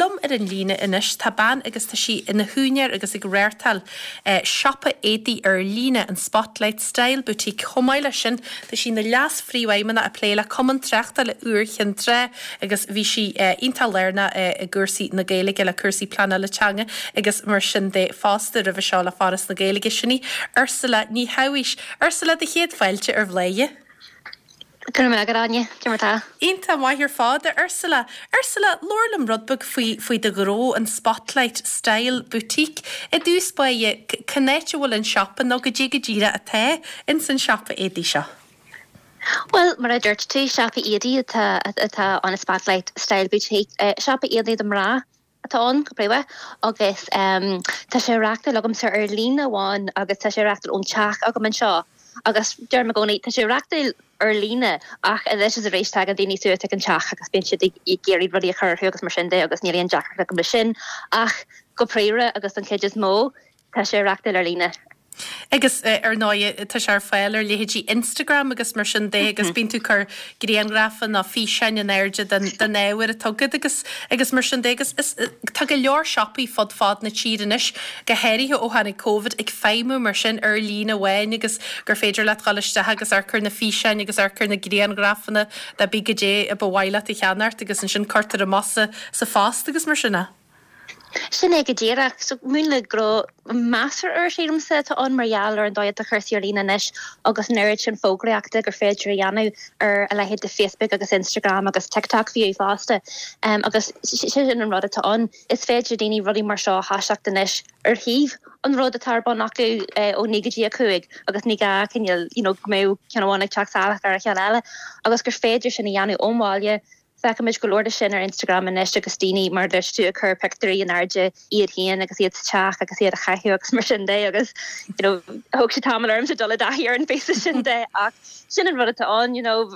liom ar an líne anois tá bean agus tá sí ina húinéir agus ag reáchtáil siopa éadaí ar líne, an Spotlight Style Boutique. Chomh maith leis sin tá sí ina leas-phríomhfheidhmeannach ag plé le Cumann Tráchtála Iúr Chinn Trá agus bhí sí iontach lárnach i gcúrsaí na Gaeilge le cúrsaí pleanála teanga agus mar sin de fosta roimhe seo le Foras na Gaeilge. Sin í Ursula Ní Shabhaois. Ursula, do chéad fáilte ar Bhladhaire. Go raibh maith agat, Áine. Cé mar tá? Iontach maith ar fad, a Ursula. Ursula, labhair liom rud beag faoi, faoi do ghnó, an Spotlight Style Boutique. I dtús báire, cén áit a bhfuil an siopa nó goidé go díreach atá ins an siopa éadaí seo? Bhuel, mar a dúirt tú, siopa éadaí atá, atá ann, an Spotlight Style Boutique. Siopa éadaí do mná. atá ann, go príomha, agus tá sé á reachtáil agamsa ar líne amháin agus tá sé á reachtáil ón teach agam anseo agus deirim i gcónaí, tá sé á reachtáil ar líne ach anois is arís tagann daoine suas ag an teach agus bíonn siad ag iarraidh rudaí a chur orthu agus mar sin de agus níl aon deacracht agam leis sin ach go príomha agus don chuid is mó Tá sé á reachtáil ar líne. Agus ar ndóigh tá sé ar fáil ar leithéidí Instagram agus mar sin de agus bíonn tú ag cur grianghrafa nó físeáin in airde den den ábhar atá agat agus agus mar sin de agus is tá go leor siopaí fud fad na tíre anois, go háirithe ó tháinig Covid, ag feidhmiú mar sin ar líne amháin agus gur féidir leat dhul isteach agus amharc ar na físeáin agus amharc ar na grianghrafanna de pé goidé a ba mhaith leat a cheannacht agus ansin cuirtear amach sa sa phost agus mar sin é. Sin é go díreach. So, múnla gnó measartha úr, sílimse, atá ann mar gheall ar an dóigh atá cúrsaí ar líne anois agus an oiread sin fógraíochta gur féidir a dhéanamh ar a leithéid de Facebook agus Instagram agus TikTok fiú fosta. Agus sin an rud atá ann. Is féidir le daoine rudaí mar seo a thoiseacht anois ar thaobh an rud atá ar bun acu ó 9 go dtí 5 agus ní gá cineál, you know, go mbeadh ceann amháin ag teacht salach ar an cheann eile agus gur féidir sin a dhéanamh ón bhaile Feicimid go leor de sin ar Instagram anois agus daoine, mar a dúirt tú, ag cur pictiúirí in airde iad féin agus iad sa teach agus iad á chaitheamh agus mar sin de agus you know thóg sé tamall ormsa dul i dtaithí ar an phíosa sin de ach sin an rud atá ann you know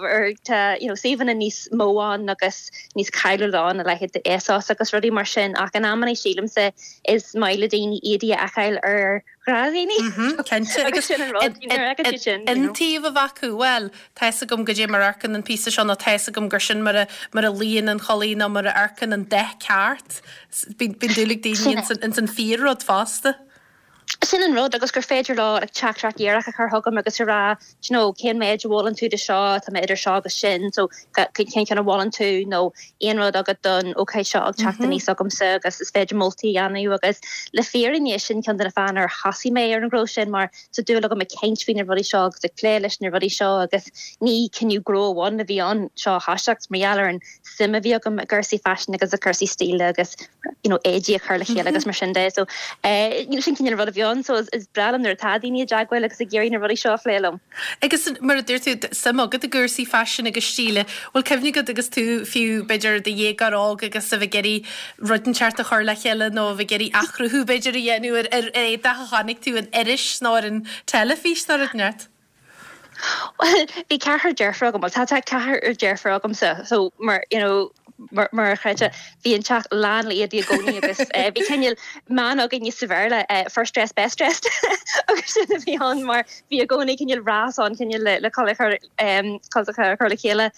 tá you know suíomhanna níos mó ann agus níos cáiliúla ann a leithéid de ASOS agus rudaí mar sin ach in amanna sílimse is maith le daoine éadaí a fheiceáil ar ghnáthdhaoine. Cinnte, agus sin an rud, nuair a fheiceann siad sin, you know. Iontaoibh a bheith acu, bhuel, tá fhios agam goidé mar a amharcann an píosa seo nó tá fhios agam gur sin mar a, mar a luíonn an chulaith nó mar a amharcann an dath ceart. Bíonn, bíonn dúil ag daoine ins an, ins an fíor-rud fosta. Sin an rud, agus gur féidir leo like teachtaireacht dhíreach a chur chugam agus a rá, do you know, cén méid a mholann tú de seo, tá mé idir seo agus sin, so cén ceann a mholann tú nó aon rud agat don ócáid seo ag teacht aníos agamsa agus is féidir moltaí a dhéanamh agus le fírinne sin ceann de na fáthanna ar thosaigh mé ar an ghnó sin mar tá dúil agam ag caint faoi na rudaí seo agus ag plé leis na rudaí seo agus ní cinneadh gnó amháin a bhí ann seo a thoiseacht mar gheall ar an suim a bhí agam i gcúrsaí faisin agus i gcúrsaí stíle agus you know éadaí a chur le chéile agus mar sin de so eh you know sin cineál rud a bhí ann so is is breá liom nuair atá daoine i dteagmháil agus ag iarraidh na rudaí seo a phlé liom. Agus mar a dúirt tú, suim agat i gcúrsaí faisin agus stíle. Bhfuil cuimhne agat agus tú fiú b'fhéidir i do dhéagóir óg agus a bheith ag iarraidh rud inteacht a chur le chéile nó a bheith ag iarraidh athchruthú b'fhéidir a dhéanamh ar ar éadach a chonaic tú in iris nó ar an teilifís nó rud inteacht? Bhuel, bhí ceathrar deirfiúr agam, bhuel tá tá ceathrar deirfiúr agamsa so mar you know mar mar a chreidfeá bhí an teach lán le éadaí i gcónaí agus bhí cineál meon againne sa Bhéarla first dressed best dressed agus sin a bhí ann mar bhí i gcónaí cineál rás ann cineál le le culaith a chur a chur le chéile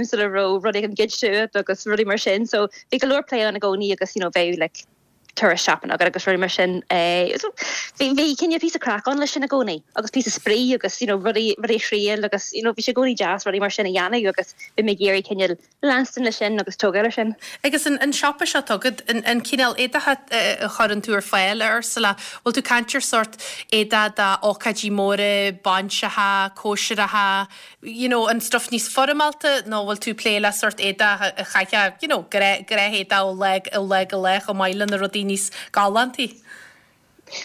sula raibh rud éigin goidte uait agus rudaí mar sin so bhí go leor plé ann i gcónaí agus you know bheadh like turas shopping agat agus rudaí mar sin. So bhí bhí cineál píosa craic ann leis sin i gcónaí agus píosa spraoi agus you know rudaí rudaí a thriail agus you know bhí sé i gcónaí deas rudaí mar sin a dhéanamh agus bhí mé ag iarraidh cineál leanstan leis sin agus tógáil ar sin. Agus an an siopa seo atá agat, an an cineál éadach a a chuireann tú ar fáil, a Ursula, bhfuil tú ag caint ar sórt éadach d'ócáidí móra, bainseacha, cóisireacha, you know, an stuff níos foirmeálta nó bhfuil tú ag plé le sórt éadach a chaithfeá, you know, gnáthéadach ó lá, ó lá go lá chomh maith le na rudaí níos galántaí?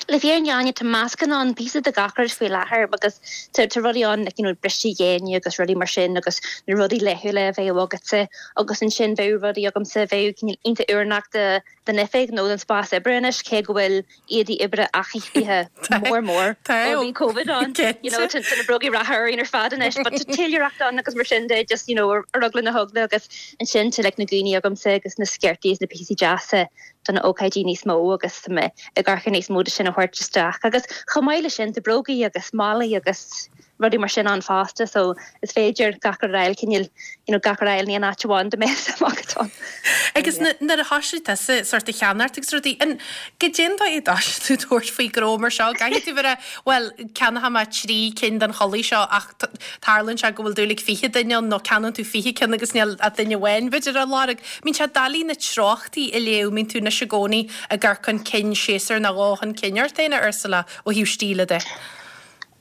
Le fírinne Áine, tá meascán ann, píosa de gach rud faoi láthair agus tá tá rudaí ann like, you know, bristí géine agus rudaí mar sin agus na rudaí laethúla a bheadh agatsa agus ansin bheadh rudaí agamsa a bheadh cineál iontach oiriúnach do don oifig nó don spás oibre anois, cé go bhfuil éadaí oibre athraithe mór mór ó bhí Covid ann. You know, tá na brógaí reatha orainn ar fad anois, but tá téiliúireacht ann agus mar sin de, just, you know, ar eagla na heagla agus ansin tá like na gúnaí agamsa agus na sciortaí is na píosaí deasa do na ócáidí níos mó agus tá mé ag amharc ar níos mó de sin a thabhairt isteach. Agus chomh maith le sin, tá brógaí agus málaí agus. rudaí mar sin ann fosta so is féidir gach rud a fháil cineál you know gach rud a fháil in aon áit amháin dá mbeadh suim agat ann. Agus nuair a thoisigh tusa sort ag ceannacht agus rudaí, an goidé an dóigh a dtoisigh tú tabhairt faoi gnó mar seo? Caithfidh tú bheith bhuel ceannóidh mé 3 cinn den chulaith seo ach tarlaíonn sé go bhfuil dúil ag 20 duine ann nó ceannaíonn tú 20 ceann agus níl ach duine amháin b'fhéidir á lorg. Mbíonn sé doiligh na treochtaí a léamh, mbíonn tú anois i gcónaí ag amharc chun cinn séasúr nó dhó chun cinn ort féin a Ursula ó thaobh stíle de.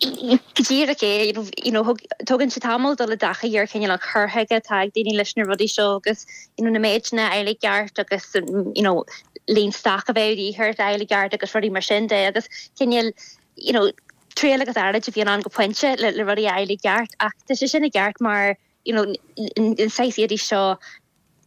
Go díreach é, you know, tógann sé tamall dul i dtaithí ar chineál an chur chuige atá ag daoine leis na rudaí seo agus you know, na méideanna a fháil i gceart agus you know, líon stoc a bheith de dhíth ort a fháil i gceart agus rudaí mar sin de agus cineál you know, triail agus earráid a bhíonn ann go pointe le, le rudaí a fháil i gceart ach tá sé sin i gceart mar you know, an saghas éadaí seo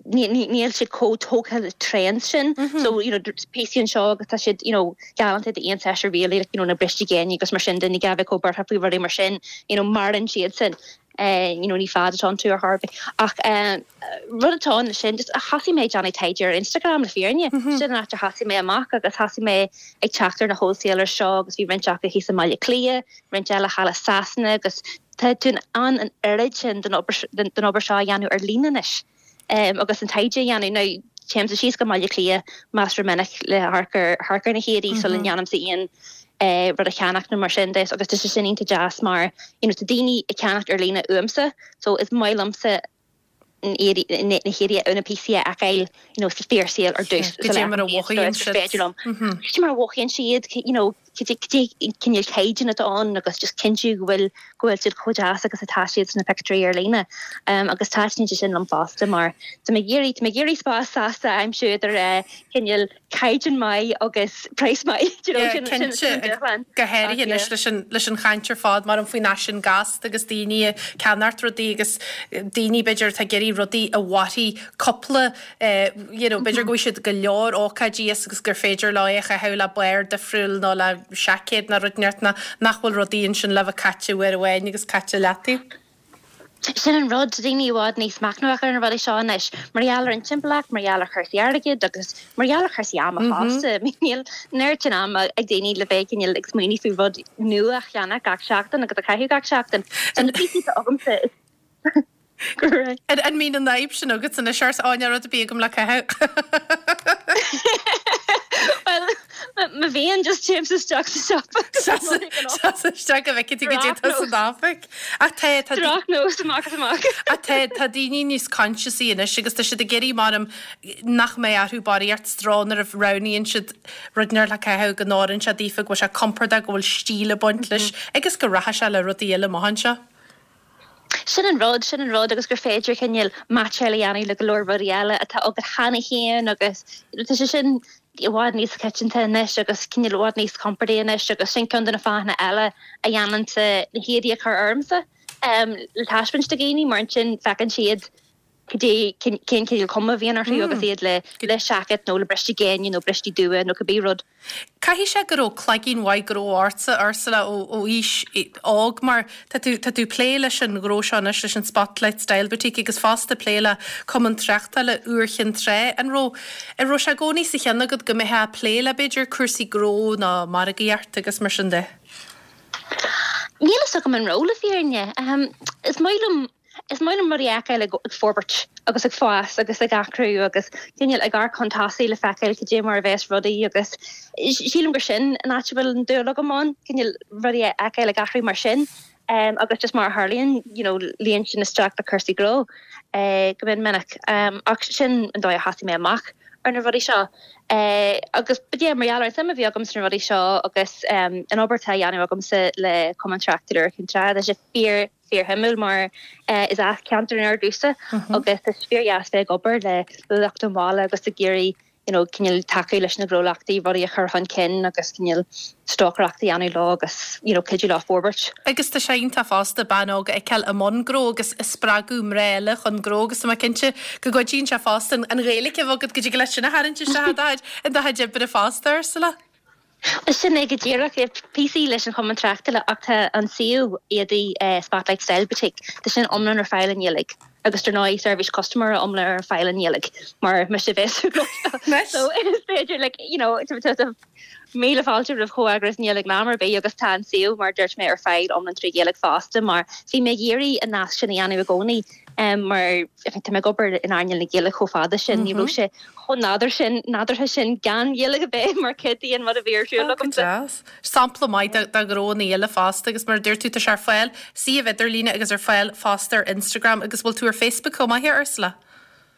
níl siad chomh tógtha le trends sin so you know píosaí anseo agus tá siad you know galánta d'aon séasúr really like you know na bristí géine agus mar sin de ní gá bheith chomh buartha faoi rudaí mar sin you know maireann siad sin eh you know ní fad atá iontu ar chor ar bith ach eh rud atá ann sin just thosaigh mé ag déanamh taighde ar Instagram le fírinne sin an áit a thosaigh mé amach agus thosaigh mé ag teacht ar na wholesalers seo agus bhí roinnt acu thíos i mBaile Átha Cliath roinnt eile thall i Sasana agus Tá tú in ann an oiread sin den obair seo a dhéanamh ar líne anois agus an taighde a dhéanamh. Now, téimse síos go mBaile Átha Cliath measartha minic le hamharc ar hamharc ar na héadaí sula ndéanaimse aon rud a cheannach nó mar sin de agus tá sé sin iontach deas mar you know tá daoine ag ceannacht ar líne uaimse so is maith liomsa na héadaí nó na píosaí a fheiceáil you know sa fíorshaol ar dtús Cad é mar a mhothaíonn siad. féidir liom. Cad é mar a mhothaíonn siad you know cad é cineál caighdeán atá ann agus just cinntiú go bhfuil go bhfuil siad chomh deas agus atá siad sna pictiúirí ar líne. Agus taitníonn sé sin liom fosta mar tá mé ag iarraidh tá mé ag iarraidh spás sásta a aimsiú idir cineál caighdeán maith agus praghas maith, do you know, sin sin sin an dúshlán. Go háirithe anois leis an leis an chaint ar fad mar an faoin fhaisean gasta agus daoine ag ceannacht rudaí agus daoine b'fhéidir atá ag iarraidh rudaí a mhairfidh cúpla you know b'fhéidir go bhfaighidh siad go leor ócáidí as agus gur féidir leo é a chaitheamh le barr difriúil nó le seaicéad nó rud inteacht nach bhfuil rudaí ansin le bheith caite uair amháin agus caite leataobh. Sin an rud, tá daoine i bhfad níos machnamhach ar na rudaí seo anois, mar gheall ar an timpeallacht, mar gheall ar chúrsaí airgid agus mar gheall ar chúrsaí ama fosta. Níl an oiread sin ama ag daoine le bheith cineál ag smaoineamh faoi rud nua a cheannach gach seachtain agus a chaitheamh gach seachtain. So na píosaí atá agamsa is go raibh. An mbíonn an fhadhb sin agat anois ort, á níl rud ar bith agam le caitheamh? Bhuel, má bhíonn, just téimse isteach sa siopa. Seas isteach go bhfeicfidh tú goidé atá san oifig. Ach tá, tá. Drochnós amach is amach. Ach tá, tá daoine níos consciousaí anois agus tá siad ag iarraidh maram nach mbeidh orthu barraíocht stró nuair a roghnaíonn siad rud inteacht le caitheamh, go n-oireann sé daofa, go bhfuil sé compordach, go bhfuil stíl ag baint leis agus go rachaidh sé le rudaí eile amach anseo. Sin an rud, sin an rud agus gur féidir cineál meaitseáil a dhéanamh le go leor rudaí eile atá agat cheana féin agus tá sé sin i bhfad níos coitianta anois agus cineál i bhfad níos compordaí anois agus sin ceann de na fáthanna eile a dhéanaimse na héadaí a chur ormsa le taispeáint do dhaoine mar ansin feiceann siad cad é cén cineál cuma a bhíonn orthu agus iad le le seaicéad nó le briste géine nó bristí dubha nó cibé rud. Caithfidh sé go raibh cloigeann mhaith gnó ortsa, Ursula, ó aois óg mar tá tú, tá tú ag plé leis an ghnó seo anois, leis an Spotlight Style Boutique agus fosta ag plé le Cumann Tráchtála Iúr Chinn Trá. An raibh, an raibh sé i gcónaí sa cheann agat go mbeifeá ag plé le b'fhéidir cúrsaí gnó nó margaíocht agus mar sin de? Níl a fhios agam an raibh le fírinne. Is maith liom Is maith liom rudaí a fheiceáil ag forbairt agus ag fás agus ag athrú agus cineál ag amharc chun tosaigh le feiceáil cad é mar a bheas rudaí agus sílim gur sin an áit a bhfuil an dúil agam ann, cineál rudaí a fheiceáil ag athrú mar sin agus just mar a tharlaíonn you know luíonn sin isteach le cúrsaí gnó go mion minic. Ach sin an dóigh a thosaigh mé amach ar na rudaí seo agus but yeah mar gheall ar an suim a bhí agam sna rudaí seo agus an obair atá á dhéanamh agamsa le Cumann Tráchtála Iúr Chinn Trá, tá sé fíor fíorshuimiúil mar is as ceantar an Iúir domhsa agus tá sé fíordheas bheith ag obair le lucht an bhaile agus ag iarraidh you know cineál tacú leis na gnólachtaí, rudaí a chur chun cinn agus cineál stocaireacht a dhéanamh leo agus you know cuidiú leo forbairt. Agus tá sé iontach fosta bean óg a fheiceáil i mbun gnó agus ag spreagadh mná eile chun gnó agus tá mé cinnte go gcuidíonn sé fosta an Ghaeilge a bheith agat go dtig leat sin a tharraingt isteach i do chuid oibre fosta, Ursula. Sin é go díreach. Píosaí leis an Chumann Tráchtála ach tá an suíomh éadaí Spotlight Style Boutique, tá sin iomlán ar fáil i nGaeilge. Agus dar ndóigh seirbhís custaiméara iomlán ar fáil i nGaeilge mar mise a bheas ag gnóthachtáil. So is féidir like you know tá míle fáilte roimh chomhfhreagras i nGaeilge in am ar bith agus tá an suíomh mar a dúirt mé ar fáil iomlán trí Ghaeilge fosta mar bhí mé ag iarraidh an nasc sin a dhéanamh i gcónaí mar tá mé ag obair in earnáil na Gaeilge chomh fada sin ní raibh sé chomh nádúr sin nádúrtha sin gan Ghaeilge a bheith mar chuid den rud a bhí ar siúl agamsa. Deas. Sampla maith de ghnó i nGaeilge fosta agus mar a dúirt tú tá sé ar fáil suíomh idirlíne agus ar fáil fosta ar Instagram agus bhfuil tú ar Facebook chomh maith a Ursula?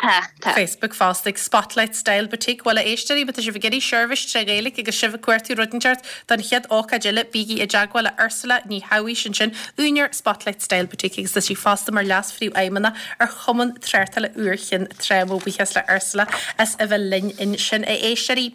Tá, tá. Facebook fosta ag Spotlight Style Boutique. Bhuel a éisteoirí, má tá sibh ag iarraidh seirbhís tré Ghaeilge agus sibh ag cuartú rud inteacht don chéad ócáid eile, bígí i dteagmháil le Ursula Ní Shabhaois ansin, úinéir Spotlight Style Boutique agus tá sí fosta mar Leas-Phríomhfheidhmeannach ar Chumann Tráchtála Iúr Chinn Trá. Mo bhuíochas le Ursula as a bheith linn ansin. A éisteoirí.